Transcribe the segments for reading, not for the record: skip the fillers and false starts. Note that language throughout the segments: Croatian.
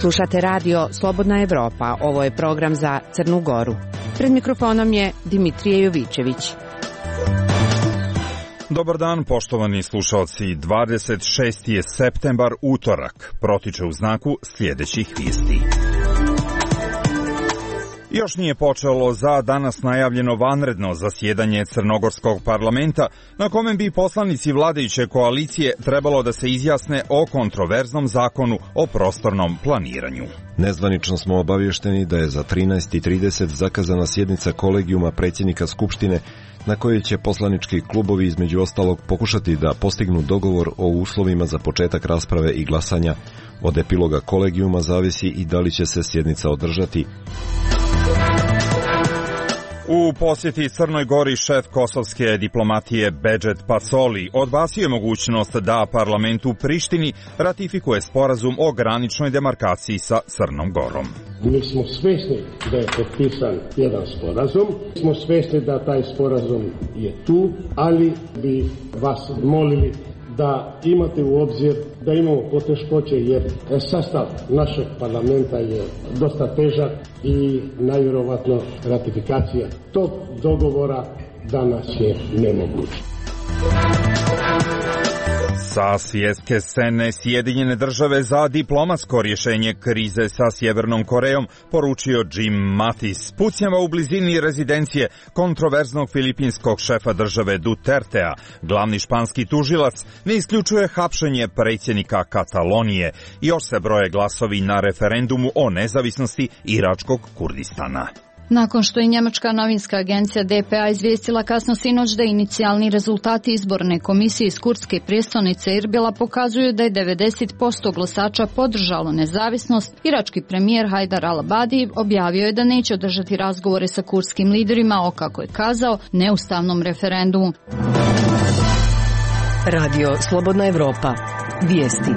Slušate radio Slobodna Evropa. Ovo je program za Crnu Goru. Pred mikrofonom je Dimitrije Jovičević. Dobar dan, poštovani slušalci. 26. je septembar, utorak. Protiče u znaku sljedećih vijesti. Još nije počelo za danas najavljeno vanredno zasjedanje Crnogorskog parlamenta, na kome bi poslanici vladajuće koalicije trebalo da se izjasne o kontroverznom zakonu o prostornom planiranju. Nezvanično smo obavješteni da je za 13:30 zakazana sjednica kolegijuma predsjednika Skupštine, na kojoj će poslanički klubovi između ostalog pokušati da postignu dogovor o uslovima za početak rasprave i glasanja. Od epiloga kolegijuma zavisi i da li će se sjednica održati. U posjeti Crnoj Gori šef kosovske diplomatije Bedžet Pacoli odbacio je mogućnost da parlament u Prištini ratifikuje sporazum o graničnoj demarkaciji sa Crnom Gorom. Mi smo svjesni da je potpisan jedan sporazum, smo svjesni da taj sporazum je tu, ali bi vas molili da imate u obzir da imamo poteškoće jer sastav našeg parlamenta je dosta težak i najvjerovatno ratifikacija tog dogovora danas je nemoguća. Sa svjetske scene Sjedinjene države za diplomatsko rješenje krize sa Sjevernom Korejom poručio Jim Mattis. Pucnjava u blizini rezidencije kontroverznog filipinskog šefa države Dutertea. Glavni španski tužilac ne isključuje hapšenje predsjednika Katalonije. Još se broje glasovi na referendumu o nezavisnosti Iračkog Kurdistana. Nakon što je njemačka novinska agencija DPA izvijestila kasno sinoć da inicijalni rezultati izborne komisije iz kurdske prijestolnice Erbila pokazuju da je 90% glasača podržalo nezavisnost, irački premijer Hajdar al-Abadi objavio je da neće održati razgovore sa kurdskim liderima o, kako je kazao, neustavnom referendumu. Radio Slobodna Evropa. Vijesti.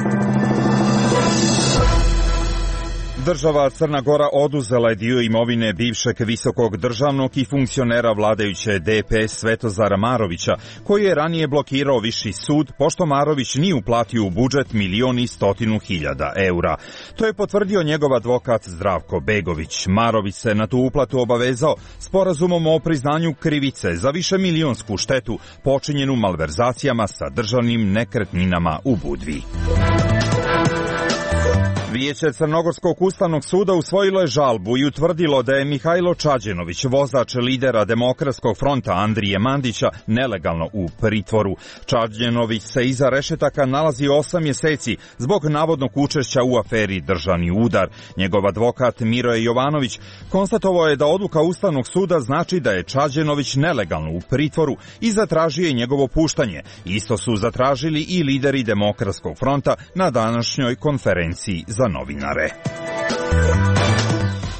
Država Crna Gora oduzela je dio imovine bivšeg visokog državnog i funkcionera vladajuće DPS Svetozara Marovića, koji je ranije blokirao viši sud, pošto Marović nije uplatio u budžet 1.100.000 eura. To je potvrdio njegov advokat Zdravko Begović. Marović se na tu uplatu obavezao sporazumom o priznanju krivice za višemilijonsku štetu počinjenu malverzacijama sa državnim nekretninama u Budvi. Vijeće Crnogorskog ustavnog suda usvojilo je žalbu i utvrdilo da je Mihajlo Čađenović, vozač lidera Demokratskog fronta Andrije Mandića, nelegalno u pritvoru. Čađenović se iza rešetaka nalazi 8 mjeseci zbog navodnog učešća u aferi Državni udar. Njegov advokat Miroje Jovanović konstatovao je da odluka Ustavnog suda znači da je Čađenović nelegalno u pritvoru i zatražio je njegovo puštanje. Isto su zatražili i lideri Demokratskog fronta na današnjoj konferenciji za novinare.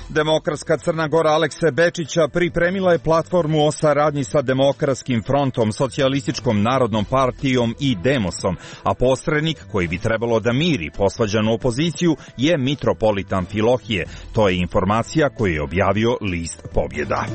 Demokratska Crna Gora Alekse Bečića pripremila je platformu o saradnji sa Demokratskim frontom, Socijalističkom narodnom partijom i Demosom, a posrednik koji bi trebalo da miri posvađanu opoziciju je mitropolit Amfilohije. To je informacija koju je objavio list Pobjeda.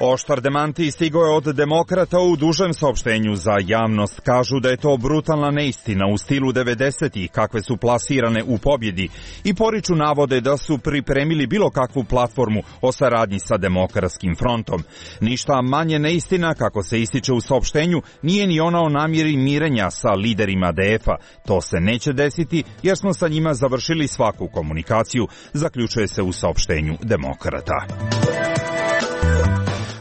Oštar demanti stigao je od demokrata u dužem saopštenju za javnost. Kažu da je to brutalna neistina u stilu 90-ih kakve su plasirane u Pobjedi i poriču navode da su pripremili bilo kakvu platformu o saradnji sa Demokratskim frontom. Ništa manje neistina, kako se ističe u saopštenju, nije ni ona o namjeri mirenja sa liderima DF-a. To se neće desiti jer smo sa njima završili svaku komunikaciju, zaključuje se u saopštenju demokrata.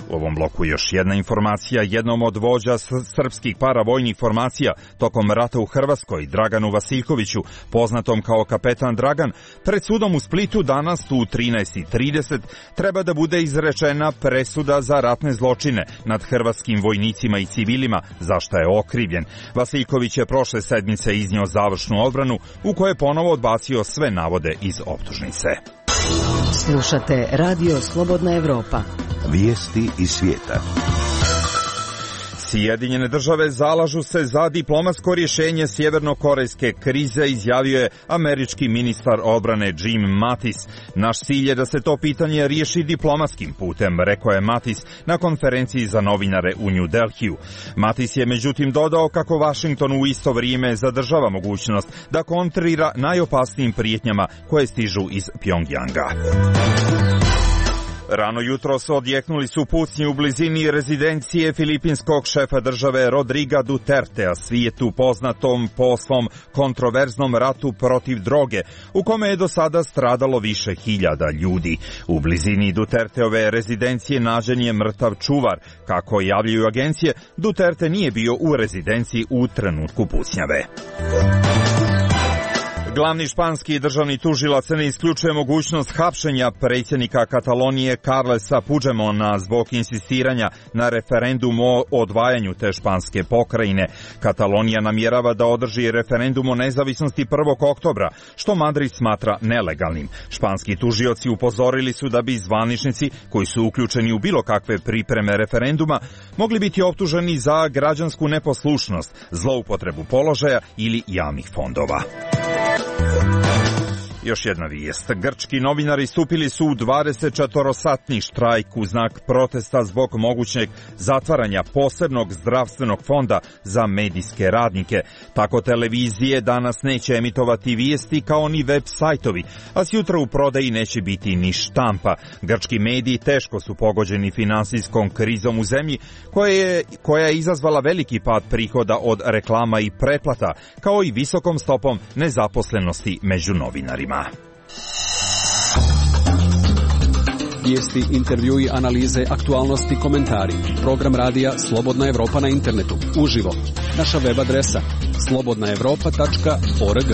U ovom bloku još jedna informacija. Jednom od vođa srpskih paravojnih formacija tokom rata u Hrvatskoj, Draganu Vasiljkoviću, poznatom kao kapetan Dragan, pred sudom u Splitu danas u 13:30 treba da bude izrečena presuda za ratne zločine nad hrvatskim vojnicima i civilima, za šta je okrivljen. Vasiljković je prošle sedmice iznio završnu odbranu u kojoj je ponovo odbacio sve navode iz optužnice. Slušate Radio Slobodna Evropa. Vijesti iz svijeta. Sjedinjene države zalažu se za diplomatsko rješenje sjevernokorejske krize, izjavio je američki ministar odbrane Jim Mattis. Naš cilj je da se to pitanje riješi diplomatskim putem, rekao je Mattis na konferenciji za novinare u New Delhiju. Mattis je međutim dodao kako Washington u isto vrijeme zadržava mogućnost da kontrira najopasnijim prijetnjama koje stižu iz Pjongjanga. Rano jutros odjeknuli su pucnji u blizini rezidencije filipinskog šefa države Rodriga Dutertea, svijetu poznatom po svom kontroverznom ratu protiv droge, u kome je do sada stradalo više hiljada ljudi. U blizini Duterteove rezidencije nađen je mrtav čuvar. Kako javljaju agencije, Duterte nije bio u rezidenciji u trenutku pucnjave. Glavni španski državni tužilac ne isključuje mogućnost hapšenja predsjednika Katalonije Carlesa Puigdemona zbog insistiranja na referendum o odvajanju te španske pokrajine. Katalonija namjerava da održi referendum o nezavisnosti 1. oktobra, što Madrid smatra nelegalnim. Španski tužioci upozorili su da bi zvaničnici koji su uključeni u bilo kakve pripreme referenduma mogli biti optuženi za građansku neposlušnost, zloupotrebu položaja ili javnih fondova. Još jedna vijest. Grčki novinari stupili su u 24-satni štrajk u znak protesta zbog mogućeg zatvaranja posebnog zdravstvenog fonda za medijske radnike. Tako televizije danas neće emitovati vijesti kao ni web sajtovi, a sjutra u prodaji neće biti ni štampa. Grčki mediji teško su pogođeni finansijskom krizom u zemlji koja je izazvala veliki pad prihoda od reklama i pretplata, kao i visokom stopom nezaposlenosti među novinarima. Vijesti, intervjui, analize, aktualnosti, komentari. Program radija Slobodna Evropa na internetu. Uživo. Naša web adresa slobodnaevropa.org.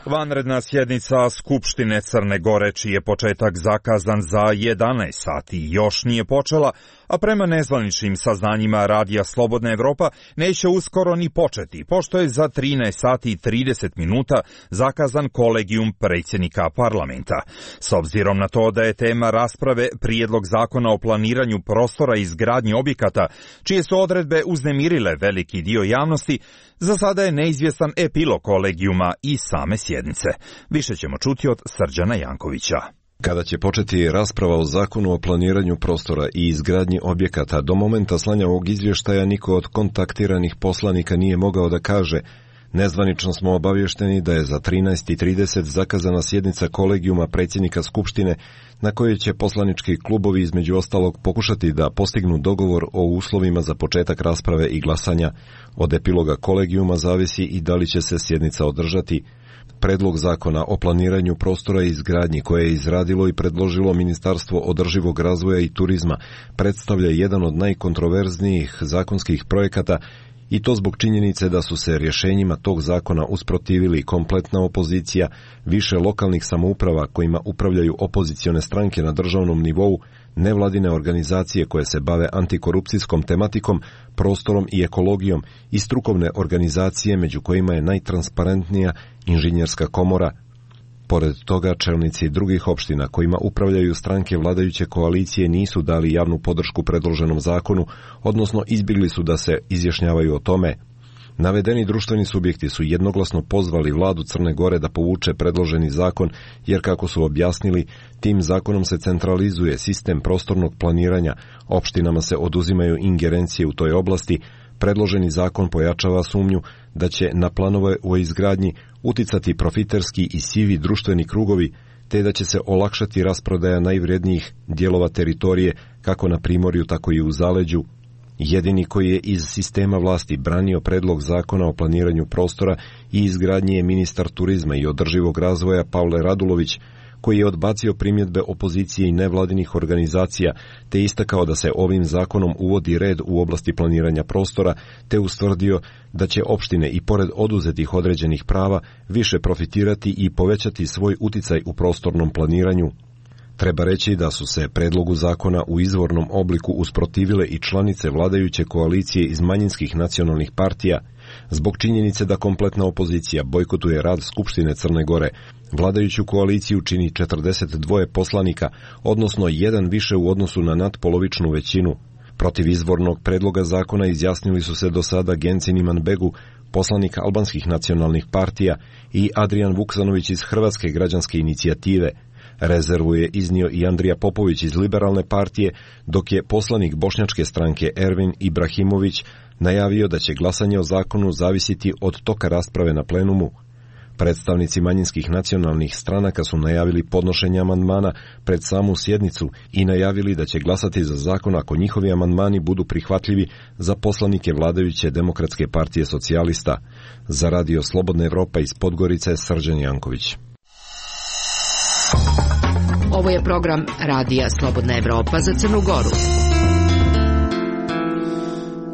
Vanredna sjednica Skupštine Crne Gore, čiji je početak zakazan za 11 sati, još nije počela, a prema nezvaničnim saznanjima radija Slobodna Evropa neće uskoro ni početi, pošto je za 13 sati i 30 minuta zakazan kolegijum predsjednika parlamenta. S obzirom na to da je tema rasprave prijedlog zakona o planiranju prostora i izgradnji objekata, čije su odredbe uznemirile veliki dio javnosti, za sada je neizvjestan epilog kolegijuma i same sjednice. Više ćemo čuti od Srđana Jankovića. Kada će početi rasprava o zakonu o planiranju prostora i izgradnji objekata, do momenta slanja ovog izvještaja niko od kontaktiranih poslanika nije mogao da kaže: nezvanično smo obavješteni da je za 13:30 zakazana sjednica kolegijuma predsjednika Skupštine na kojoj će poslanički klubovi između ostalog pokušati da postignu dogovor o uslovima za početak rasprave i glasanja. Od epiloga kolegijuma zavisi i da li će se sjednica održati. Predlog zakona o planiranju prostora i izgradnji koje je izradilo i predložilo Ministarstvo održivog razvoja i turizma predstavlja jedan od najkontroverznijih zakonskih projekata, i to zbog činjenice da su se rješenjima tog zakona usprotivili kompletna opozicija, više lokalnih samouprava kojima upravljaju opozicione stranke na državnom nivou, nevladine organizacije koje se bave antikorupcijskom tematikom, prostorom i ekologijom i strukovne organizacije među kojima je najtransparentnija Inženjerska komora. Pored toga, čelnici drugih opština kojima upravljaju stranke vladajuće koalicije nisu dali javnu podršku predloženom zakonu, odnosno izbjegli su da se izjašnjavaju o tome. Navedeni društveni subjekti su jednoglasno pozvali vladu Crne Gore da povuče predloženi zakon, jer kako su objasnili, tim zakonom se centralizuje sistem prostornog planiranja, opštinama se oduzimaju ingerencije u toj oblasti. Predloženi zakon pojačava sumnju da će na planove o izgradnji uticati profiterski i sivi društveni krugovi, te da će se olakšati rasprodaja najvrednijih dijelova teritorije, kako na primorju, tako i u zaleđu. Jedini koji je iz sistema vlasti branio predlog zakona o planiranju prostora i izgradnji je ministar turizma i održivog razvoja Pavle Radulović, koji je odbacio primjedbe opozicije i nevladinih organizacija, te istakao da se ovim zakonom uvodi red u oblasti planiranja prostora, te ustvrdio da će opštine i pored oduzetih određenih prava više profitirati i povećati svoj uticaj u prostornom planiranju. Treba reći da su se predlogu zakona u izvornom obliku usprotivile i članice vladajuće koalicije iz manjinskih nacionalnih partija. Zbog činjenice da kompletna opozicija bojkotuje rad Skupštine Crne Gore, vladajuću koaliciju čini 42 poslanika, odnosno jedan više u odnosu na nadpolovičnu većinu. Protiv izvornog predloga zakona izjasnili su se do sada Gencin Imanbegu, poslanik albanskih nacionalnih partija, i Adrijan Vuksanović iz Hrvatske građanske inicijative. Rezervu je iznio i Andrija Popović iz Liberalne partije, dok je poslanik bošnjačke stranke Ervin Ibrahimović najavio da će glasanje o zakonu zavisiti od toka rasprave na plenumu. Predstavnici manjinskih nacionalnih stranaka su najavili podnošenje amandmana pred samu sjednicu i najavili da će glasati za zakon ako njihovi amandmani budu prihvatljivi za poslanike vladajuće Demokratske partije socijalista. Za Radio Slobodna Evropa iz Podgorice, Srđan Janković. Ovo je program Radija Slobodna Evropa za Crnu Goru.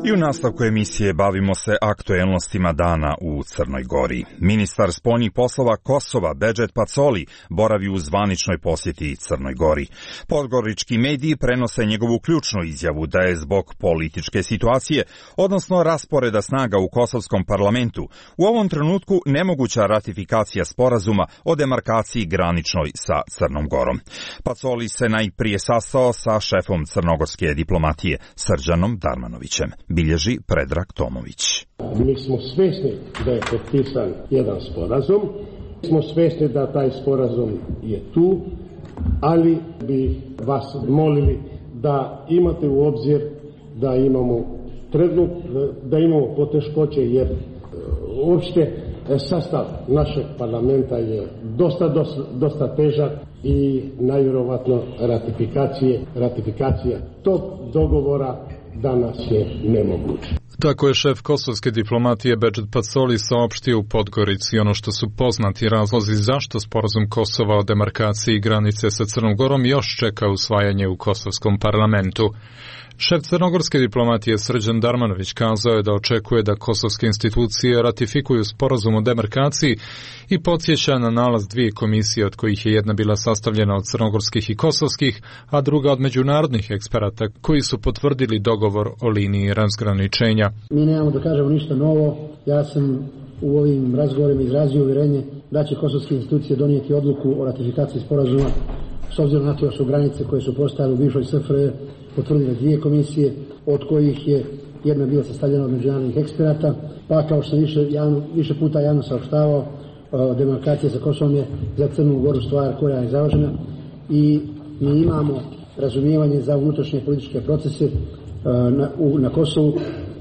I u nastavku emisije bavimo se aktuelnostima dana u Crnoj Gori. Ministar spoljnih poslova Kosova Bedžet Pacoli boravi u zvaničnoj posjeti Crnoj Gori. Podgorički mediji prenose njegovu ključnu izjavu da je zbog političke situacije, odnosno rasporeda snaga u kosovskom parlamentu, u ovom trenutku nemoguća ratifikacija sporazuma o demarkaciji graničnoj sa Crnom Gorom. Pacoli se najprije sastao sa šefom crnogorske diplomatije Srđanom Darmanovićem. Bilježi Predrag Tomović. Mi smo svjesni da je potpisan jedan sporazum, smo svjesni da taj sporazum je tu, ali bi vas molili da imate u obzir da imamo poteškoće, jer uopšte sastav našeg parlamenta je dosta težak i najvjerovatno ratifikacija tog dogovora danas je nemoguće. Tako je šef kosovske diplomatije Bedžet Pacoli saopštio u Podgorici. Ono što su poznati razlozi zašto sporazum Kosova o demarkaciji granice sa Crnom Gorom još čeka usvajanje u kosovskom parlamentu. Šef crnogorske diplomatije Srđan Darmanović kazao je da očekuje da kosovske institucije ratifikuju sporazum o demarkaciji i podsjeća na nalaz dvije komisije, od kojih je jedna bila sastavljena od crnogorskih i kosovskih, a druga od međunarodnih eksperata koji su potvrdili dogovor o liniji razgraničenja. Mi nemamo da kažemo ništa novo. Ja sam u ovim razgovorima izrazio uvjerenje da će kosovske institucije donijeti odluku o ratifikaciji sporazuma, s obzirom na to da su granice koje su postojale u bivšoj SFRJ potvrdile dvije komisije, od kojih je jedna bila sastavljena od međunarodnih eksperata, pa kao što sam više puta javno saopštavao, demarkacija sa Kosovom je za Crnu Goru stvar koja je završena i mi imamo razumijevanje za unutrašnje političke procese na Kosovu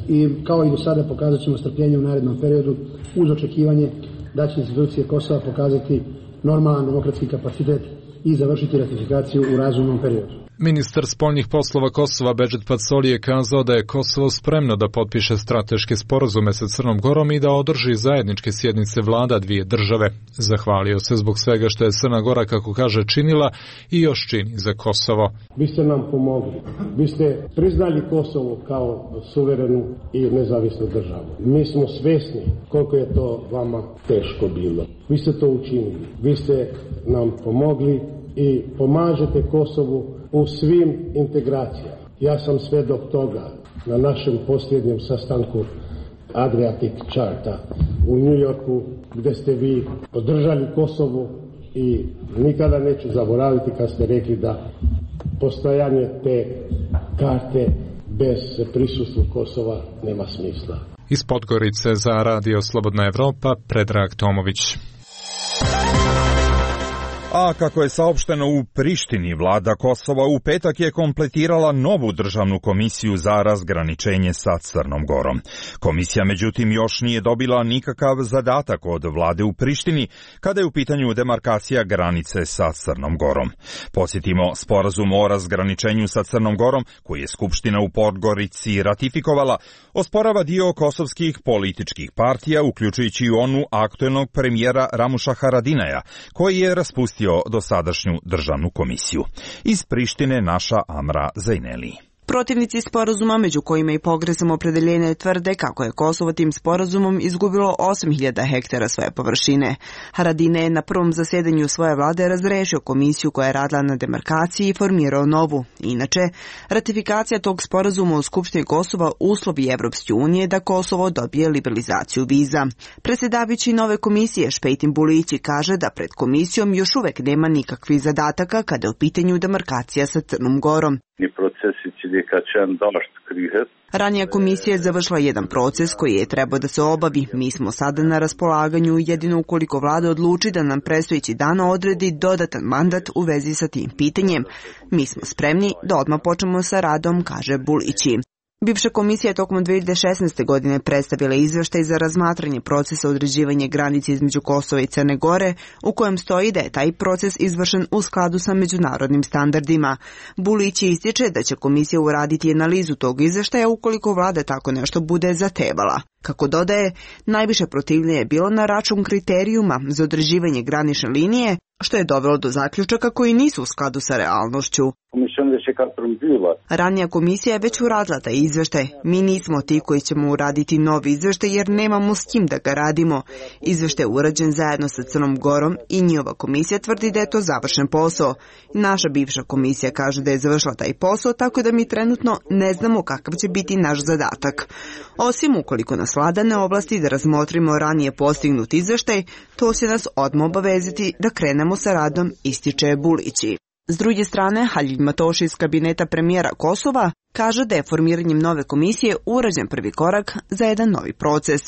i kao i do sada pokazat ćemo strpljenje u narednom periodu uz očekivanje da će institucije Kosova pokazati normalan demokratski kapacitet i završiti ratifikaciju u razumnom periodu. Ministar spoljnih poslova Kosova Bedžet Pacoli je kazao da je Kosovo spremno da potpiše strateške sporazume sa Crnom Gorom i da održi zajedničke sjednice vlada dvije države. Zahvalio se zbog svega što je Crna Gora, kako kaže, činila i još čini za Kosovo. Vi ste nam pomogli. Vi ste priznali Kosovo kao suverenu i nezavisnu državu. Mi smo svjesni koliko je to vama teško bilo. Vi ste to učinili. Vi ste nam pomogli i pomažete Kosovu u svim integracijama. Ja sam svedok toga na našem posljednjem sastanku Adriatic Charta u New Yorku, gdje ste vi podržali Kosovu i nikada neću zaboraviti kad ste rekli da postojanje te karte bez prisustva Kosova nema smisla. Iz Podgorice za Radio Slobodna Evropa, Predrag Tomović. A kako je saopšteno u Prištini, vlada Kosova u petak je kompletirala novu državnu komisiju za razgraničenje sa Crnom Gorom. Komisija međutim još nije dobila nikakav zadatak od vlade u Prištini kada je u pitanju demarkacija granice sa Crnom Gorom. Podsjetimo, sporazum o razgraničenju sa Crnom Gorom, koji je Skupština u Podgorici ratifikovala, osporava dio kosovskih političkih partija, uključujući i onu aktuelnog premijera Ramuša Haradinaja, koji je raspustio dosadašnju državnu komisiju. Iz Prištine naša Amra Zajneli. Protivnici sporazuma, među kojima i pogrezom opredeljenja, tvrde kako je Kosovo tim sporazumom izgubilo 8.000 hektara svoje površine. Haradinaj je na prvom zasedanju svoje vlade razrešio komisiju koja je radila na demarkaciji i formirao novu. Inače, ratifikacija tog sporazuma u Skupštini Kosova uslovi Evropske unije da Kosovo dobije liberalizaciju viza. Predsjedavajući nove komisije Špejtin Bulići kaže da pred komisijom još uvek nema nikakvih zadataka kada je u pitanju demarkacija sa Crnom Gorom. Procesi će Ranija komisija je završila jedan proces koji je trebao da se obavi. Mi smo sada na raspolaganju jedino ukoliko vlada odluči da nam predstojeći dan odredi dodatan mandat u vezi sa tim pitanjem. Mi smo spremni da odmah počnemo sa radom, kaže Bulići. Bivša komisija je tokom 2016. godine predstavila izveštaj za razmatranje procesa određivanja granice između Kosova i Crne Gore, u kojem stoji da je taj proces izvršen u skladu sa međunarodnim standardima. Bulić ističe da će komisija uraditi analizu tog izveštaja ukoliko vlada tako nešto bude zahtevala. Kako dodaje, najviše protivljenje je bilo na račun kriterijuma za određivanje granične linije, što je dovelo do zaključaka koji nisu u skladu sa realnošću. Ranija komisija je već uradila taj izveštaj. Mi nismo ti koji ćemo uraditi novi izveštaj jer nemamo s kim da ga radimo. Izveštaj je urađen zajedno sa Crnom Gorom i njihova komisija tvrdi da je to završen posao. Naša bivša komisija kaže da je završila taj posao, tako da mi trenutno ne znamo kakav će biti naš zadatak. Osim ukoliko nas vlada ne ovlasti da razmotrimo ranije postignut izveštaj, to će nas odmah obavezati da krenemo sa radom, ističe Bulići. S druge strane, Halil Matoši iz kabineta premijera Kosova kaže da je formiranjem nove komisije urađen prvi korak za jedan novi proces.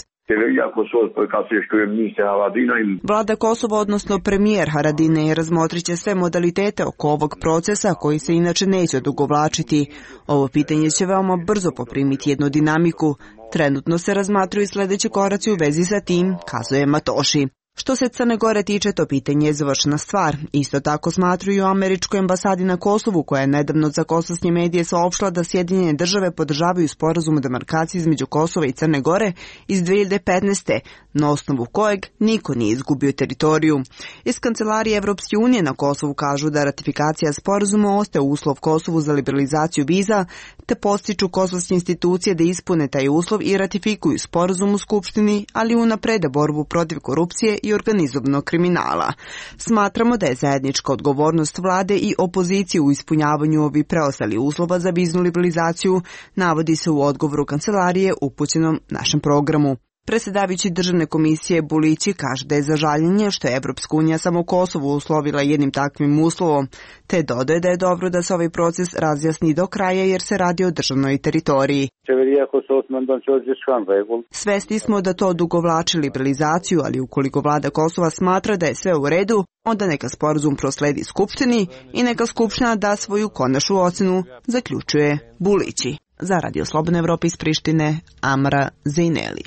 Vlada Kosova, odnosno premijer Haradinaj, razmotrit će sve modalitete oko ovog procesa koji se inače neće odugovlačiti. Ovo pitanje će veoma brzo poprimiti jednu dinamiku. Trenutno se razmatruju sledeći koraci u vezi sa tim, kazuje Matoši. Što se Crne Gore tiče, to pitanje je završena stvar. Isto tako smatruju u američkoj ambasadi na Kosovu, koja je nedavno za kosovske medije saopštila da Sjedinjene države podržavaju sporazum o demarkaciji između Kosova i Crne Gore iz 2015. na osnovu kojeg niko nije izgubio teritoriju. Iz Kancelarije Evropske unije na Kosovu kažu da ratifikacija sporazuma ostaje uslov Kosovu za liberalizaciju viza, te podstiču kosovske institucije da ispune taj uslov i ratifikuju sporazum u Skupštini, ali unaprede borbu protiv korupcije i organizovanog kriminala. Smatramo da je zajednička odgovornost vlade i opozicije u ispunjavanju ovih preostalih uslova za viznu liberalizaciju, navodi se u odgovoru kancelarije upućenom našem programu. Predsjedavajući državne komisije Bulići kaže da je za žaljenje što je Evropska unija samo Kosovo uslovila jednim takvim uslovom, te dodaje da je dobro da se ovaj proces razjasni do kraja jer se radi o državnoj teritoriji. Svesni smo da to odugovlači liberalizaciju, ali ukoliko vlada Kosova smatra da je sve u redu, onda neka sporazum prosledi Skupštini i neka Skupština da svoju konačnu ocenu, zaključuje Bulići. Za Radio Slobodna Evropa iz Prištine, Amra Zejneli.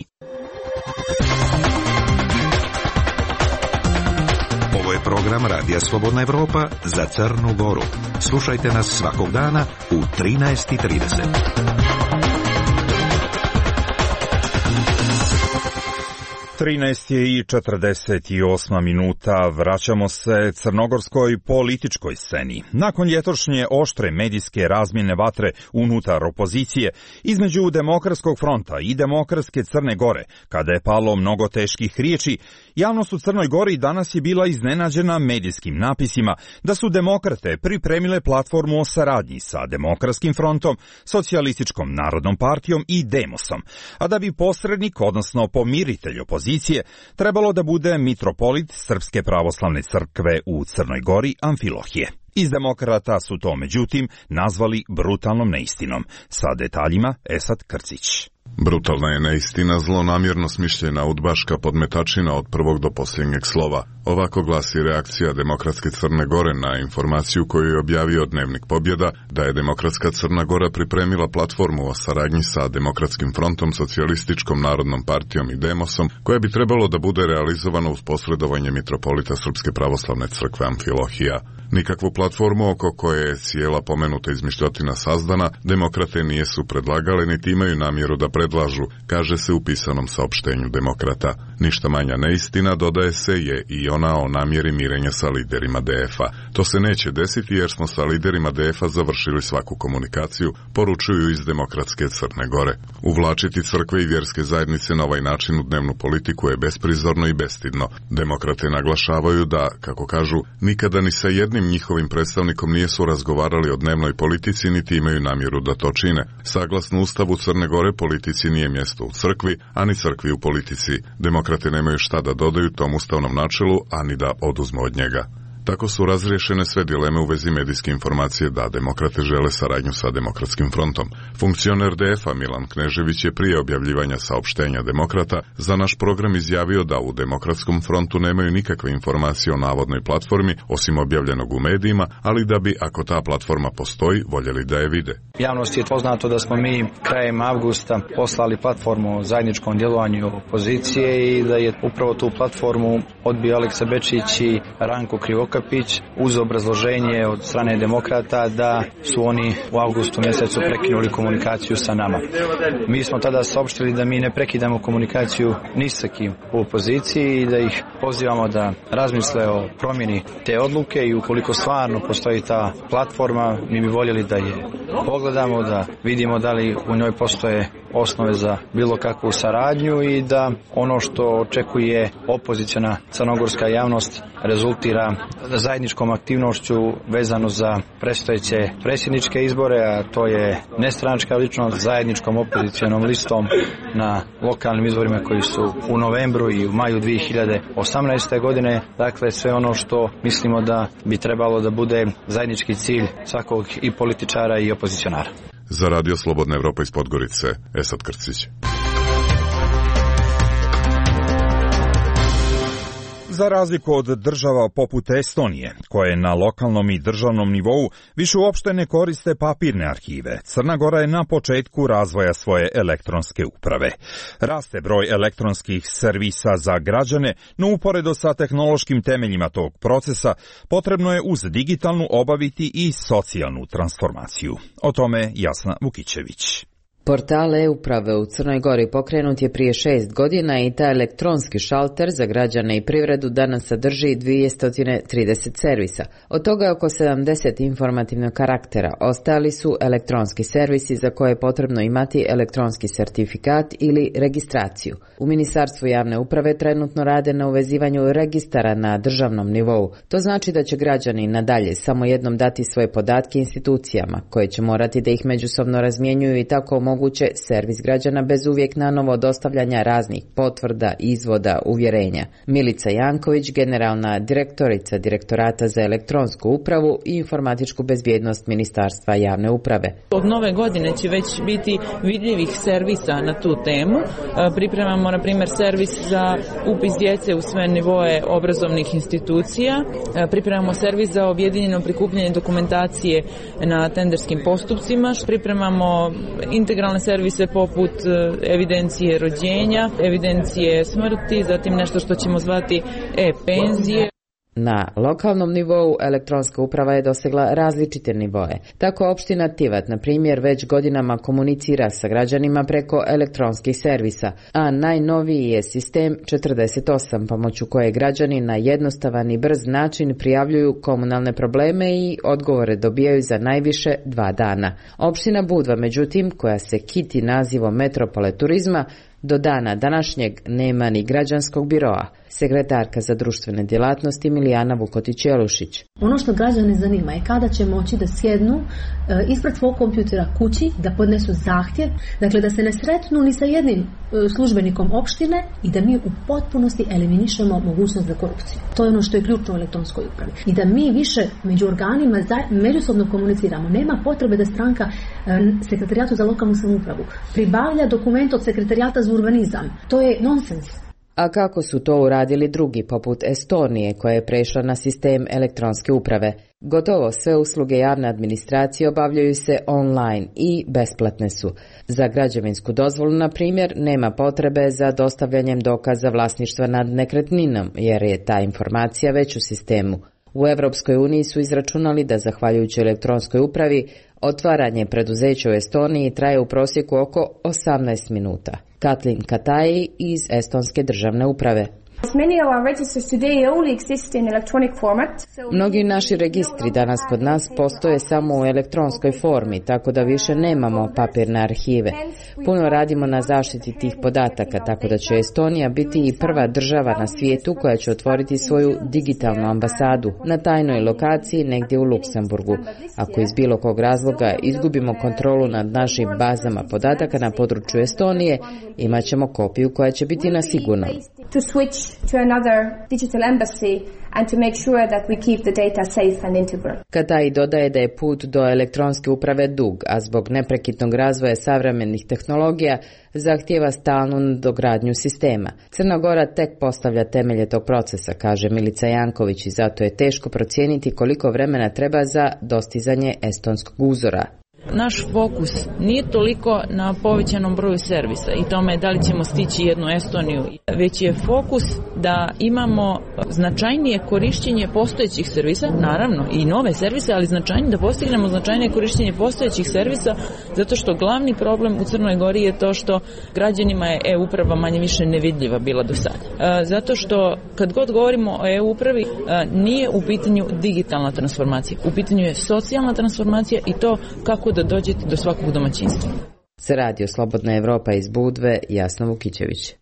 Ovo je program Radija Slobodna Evropa za Crnu Goru. Slušajte nas svakog dana u 13:30. 13:48 minuta, vraćamo se crnogorskoj političkoj sceni. Nakon ljetošnje oštre medijske razmjene vatre unutar opozicije između Demokratskog fronta i Demokratske Crne Gore, kada je palo mnogo teških riječi, javnost u Crnoj Gori danas je bila iznenađena medijskim napisima da su demokrate pripremile platformu o saradnji sa Demokratskim frontom, Socijalističkom narodnom partijom i Demosom, a da bi posrednik, odnosno pomiritelj opozicije, trebalo da bude mitropolit Srpske pravoslavne crkve u Crnoj Gori Amfilohije. Iz demokrata su to, međutim, nazvali brutalnom neistinom. Sa detaljima Esad Krcić. Brutalna je neistina, zlonamjerno smišljena udbaška podmetačina od prvog do posljednjeg slova. Ovako glasi reakcija Demokratske Crne Gore na informaciju koju je objavio Dnevnik Pobjeda da je Demokratska Crna Gora pripremila platformu o saradnji sa Demokratskim frontom, Socijalističkom narodnom partijom i Demosom, koja bi trebalo da bude realizovana uz posredovanje mitropolita Srpske pravoslavne crkve Amfilohija. Nikakvu platformu oko koje je cijela pomenuta izmišljotina sazdana, demokrate nijesu predlagali niti imaju namjeru da predlažu, kaže se u pisanom saopštenju Demokrata. Ništa manja neistina, dodaje se, je i ona o namjeri mirenja sa liderima DF-a. To se neće desiti jer smo sa liderima DF-a završili svaku komunikaciju, poručuju iz Demokratske Crne Gore. Uvlačiti crkve i vjerske zajednice na ovaj način u dnevnu politiku je besprizorno i bestidno. Demokrate naglašavaju da, kako kažu, nikada ni sa jednim njihovim predstavnikom nijesu razgovarali o dnevnoj politici niti imaju namjeru da to čine. Saglasno Ustavu Crne Gore, politici nije mjesto u crkvi, a ni crkvi u politici. Demokrate nemaju šta da dodaju tom ustavnom načelu, a ni da oduzmu od njega. Tako su razriješene sve dileme u vezi medijske informacije da demokrate žele saradnju sa Demokratskim frontom. Funkcioner DF-a Milan Knežević je prije objavljivanja saopštenja demokrata za naš program izjavio da u Demokratskom frontu nemaju nikakve informacije o navodnoj platformi, osim objavljenog u medijima, ali da bi, ako ta platforma postoji, voljeli da je vide. Javnosti je poznato da smo mi krajem avgusta poslali platformu o zajedničkom djelovanju opozicije i da je upravo tu platformu odbio Aleksa Bečić i Ranko Krivokapić uz obrazloženje od strane demokrata da su oni u avgustu mjesecu prekinuli komunikaciju sa nama. Mi smo tada saopštili da mi ne prekidamo komunikaciju ni sa kim u opoziciji i da ih pozivamo da razmisle o promjeni te odluke i ukoliko stvarno postoji ta platforma, mi bi voljeli da je pogledamo, da vidimo da li u njoj postoje osnove za bilo kakvu saradnju i da ono što očekuje opoziciona crnogorska javnost rezultira zajedničkom aktivnošću vezano za predstojeće predsjedničke izbore, a to je nestranačka ličnost zajedničkom opozicionom listom na lokalnim izborima koji su u novembru i u maju 2018. godine. Dakle, sve ono što mislimo da bi trebalo da bude zajednički cilj svakog i političara i opozicionara. Za Radio Slobodna Evropa iz Podgorice, Esad Krcić. Za razliku od država poput Estonije, koje na lokalnom i državnom nivou više uopšte ne koriste papirne arhive, Crna Gora je na početku razvoja svoje elektronske uprave. Raste broj elektronskih servisa za građane, no uporedo sa tehnološkim temeljima tog procesa, potrebno je uz digitalnu obaviti i socijalnu transformaciju. O tome Jasna Vukićević. Portal e-uprave u Crnoj Gori pokrenut je prije 6 godina i taj elektronski šalter za građane i privredu danas sadrži 230 servisa. Od toga je oko 70 informativnog karaktera. Ostali su elektronski servisi za koje je potrebno imati elektronski sertifikat ili registraciju. U Ministarstvu javne uprave trenutno rade na uvezivanju registara na državnom nivou. To znači da će građani nadalje samo jednom dati svoje podatke institucijama, koje će morati da ih međusobno razmjenjuju i tako moguće servis građana bez uvijek nanovo dostavljanja raznih potvrda, izvoda, uvjerenja. Milica Janković, generalna direktorica Direktorata za elektronsku upravu i informatičku bezbjednost Ministarstva javne uprave. Od nove godine će već biti vidljivih servisa na tu temu. Pripremamo, na primjer, servis za upis djece u sve nivoe obrazovnih institucija. Pripremamo servis za objedinjeno prikupljanje dokumentacije na tenderskim postupcima. Pripremamo integralne servise poput evidencije rođenja, evidencije smrti, zatim nešto što ćemo zvati e-penzije. Na lokalnom nivou elektronska uprava je dosegla različite nivoe. Tako opština Tivat, na primjer, već godinama komunicira sa građanima preko elektronskih servisa, a najnoviji je sistem 48, pomoću koje građani na jednostavan i brz način prijavljuju komunalne probleme i odgovore dobijaju za najviše 2 dana. Opština Budva, međutim, koja se kiti nazivom metropole turizma, do dana današnjeg nema ni građanskog biroa. Sekretarka za društvene djelatnosti Milijana Vukotić-Jelušić. Ono što građane zanima je kada će moći da sjednu ispred svog kompjutera kući, da podnesu zahtjev, dakle da se ne sretnu ni sa jednim službenikom opštine i da mi u potpunosti eliminišemo mogućnost za korupciju. To je ono što je ključno u elektronskoj upravi. I da mi više među organima međusobno komuniciramo. Nema potrebe da stranka Sekretarijatu za lokalnu samoupravu pribavlja dokument od Sekretarijata za urbanizam. To je nonsens. A kako su to uradili drugi, poput Estonije, koja je prešla na sistem elektronske uprave? Gotovo sve usluge javne administracije obavljaju se online i besplatne su. Za građevinsku dozvolu, na primjer, nema potrebe za dostavljanjem dokaza vlasništva nad nekretninom, jer je ta informacija već u sistemu. U Evropskoj uniji su izračunali da, zahvaljujući elektronskoj upravi, otvaranje preduzeća u Estoniji traje u prosjeku oko 18 minuta. Katlin Kataji iz Estonske državne uprave. Mnogi naši registri danas kod nas postoje samo u elektronskoj formi, tako da više nemamo papirne arhive. Puno radimo na zaštiti tih podataka, tako da će Estonija biti i prva država na svijetu koja će otvoriti svoju digitalnu ambasadu na tajnoj lokaciji negdje u Luksemburgu. Ako iz bilo kog razloga izgubimo kontrolu nad našim bazama podataka na području Estonije, imat ćemo kopiju koja će biti na sigurnom. To switch to another digital embassy and to make sure that we keep the data safe and integral. Katai dodaje da je put do elektronske uprave dug, a zbog neprekidnog razvoja savremenih tehnologija zahtijeva stalnu nadogradnju sistema. Crna Gora tek postavlja temelje tog procesa, kaže Milica Janković, i zato je teško procijeniti koliko vremena treba za dostizanje estonskog uzora. Naš fokus nije toliko na povećanom broju servisa i tome da li ćemo stići jednu Estoniju, već je fokus da imamo značajnije korišćenje postojećih servisa, naravno i nove servise, ali da postignemo značajnije korišćenje postojećih servisa, zato što glavni problem u Crnoj Gori je to što građanima je e-uprava manje više nevidljiva bila do sada. Zato što kad god govorimo o e-upravi nije u pitanju digitalna transformacija, u pitanju je socijalna transformacija i to kako da dođete do svakog domaćinstva. Za Radio Slobodna Evropa iz Budve, Jasna Vukićević.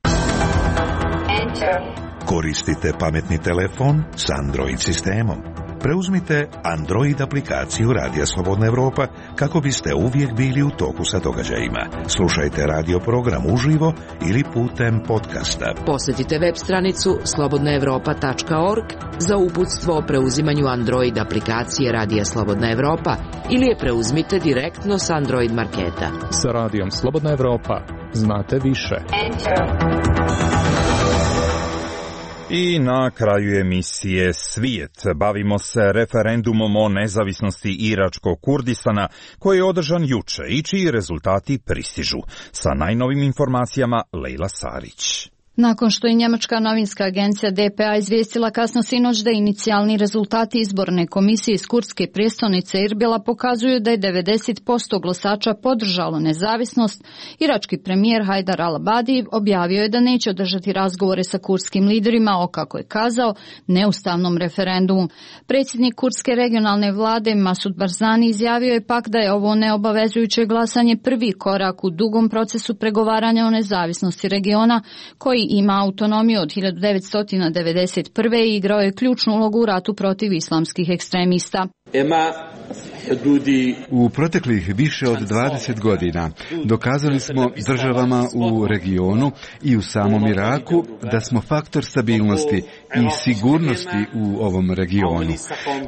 Koristite pametni telefon s Android sistemom. Preuzmite Android aplikaciju Radija Slobodna Evropa kako biste uvijek bili u toku sa događajima. Slušajte radio program uživo ili putem podcasta. Posjetite web stranicu slobodnaevropa.org za uputstvo o preuzimanju Android aplikacije Radija Slobodna Evropa ili je preuzmite direktno s Android marketa. Sa Radijom Slobodna Evropa znate više. I na kraju emisije Svijet bavimo se referendumom o nezavisnosti Iračkog Kurdistana koji je održan juče i čiji rezultati pristižu. Sa najnovim informacijama Lejla Sarić. Nakon što je njemačka novinska agencija DPA izvijestila kasno sinoć da inicijalni rezultati izborne komisije iz kurdske prijestolnice Irbila pokazuju da je 90% glasača podržalo nezavisnost, irački premijer Hajdar al-Abadi objavio je da neće održati razgovore sa kurdskim liderima o, kako je kazao, neustavnom referendumu. Predsjednik kurdske regionalne vlade Masud Barzani izjavio je pak da je ovo neobavezujuće glasanje prvi korak u dugom procesu pregovaranja o nezavisnosti regiona koji ima autonomiju od 1991. i igrao je ključnu ulogu u ratu protiv islamskih ekstremista. U proteklih više od 20 godina dokazali smo državama u regionu i u samom Iraku da smo faktor stabilnosti i sigurnosti u ovom regionu.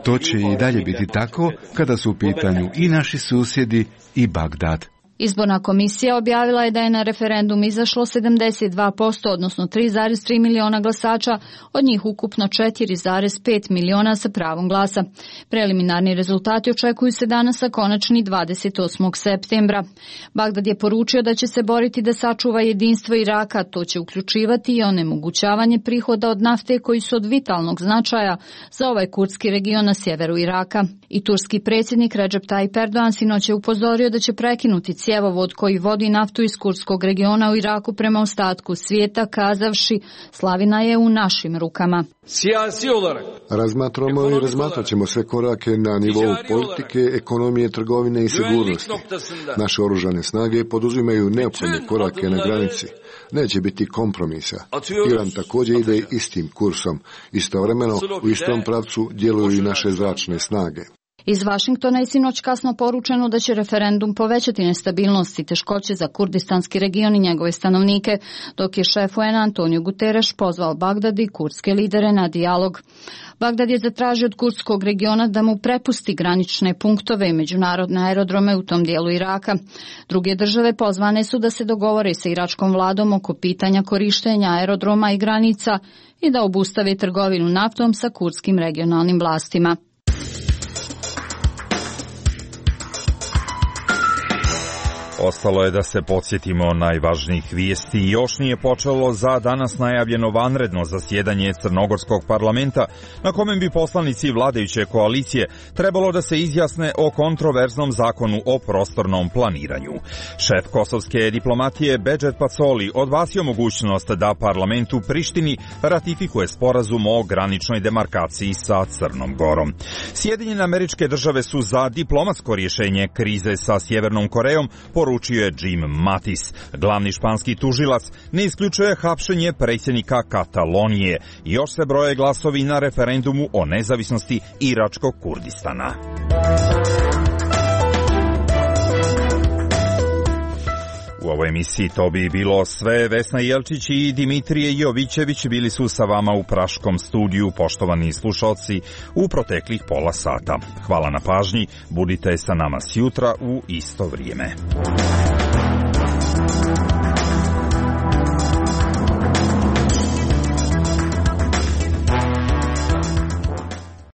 To će i dalje biti tako kada su u pitanju i naši susjedi i Bagdad. Izborna komisija objavila je da je na referendum izašlo 72%, odnosno 3,3 miliona glasača, od njih ukupno 4,5 miliona sa pravom glasa. Preliminarni rezultati očekuju se danas, a konačni 28. septembra. Bagdad je poručio da će se boriti da sačuva jedinstvo Iraka, to će uključivati i onemogućavanje prihoda od nafte koji su od vitalnog značaja za ovaj kurdski region na sjeveru Iraka. I turski predsjednik Recep Tayyip Erdogan sinoć je upozorio da će prekinuti cjevovod koji vodi naftu iz kurdskog regiona u Iraku prema ostatku svijeta, kazavši slavina je u našim rukama. Razmatramo i razmatrat ćemo sve korake na nivou politike, ekonomije, trgovine i sigurnosti. Naše oružane snage poduzimaju neophodne korake na granici. Neće biti kompromisa. Iran također ide istim kursom. Istovremeno u istom pravcu djeluju i naše zračne snage. Iz Vašingtona je sinoć kasno poručeno da će referendum povećati nestabilnost i teškoće za kurdistanski region i njegove stanovnike, dok je šef UN Antonio Guterres pozvao Bagdad i kurdske lidere na dijalog. Bagdad je zatražio od kurdskog regiona da mu prepusti granične punktove i međunarodne aerodrome u tom dijelu Iraka. Druge države pozvane su da se dogovore sa iračkom vladom oko pitanja korištenja aerodroma i granica i da obustave trgovinu naftom sa kurdskim regionalnim vlastima. Ostalo je da se podsjetimo najvažnijih vijesti. Još nije počelo za danas najavljeno vanredno zasjedanje Crnogorskog parlamenta, na kome bi poslanici vladajuće koalicije trebalo da se izjasne o kontroverznom zakonu o prostornom planiranju. Šef kosovske diplomatije Bedžet Pacoli odbacio mogućnost da parlament u Prištini ratifikuje sporazum o graničnoj demarkaciji sa Crnom Gorom. Sjedinjene Američke Države su za diplomatsko rješenje krize sa Sjevernom Korejom, poručio je Jim Mattis. Glavni španski tužilac ne isključuje hapšenje predsjednika Katalonije. Još se broje glasovi na referendumu o nezavisnosti Iračkog Kurdistana. U ovoj emisiji to bi bilo sve. Vesna Jelčić i Dimitrije Jovićević bili su sa vama u praškom studiju, poštovani slušalci, u proteklih pola sata. Hvala na pažnji, budite sa nama sjutra u isto vrijeme.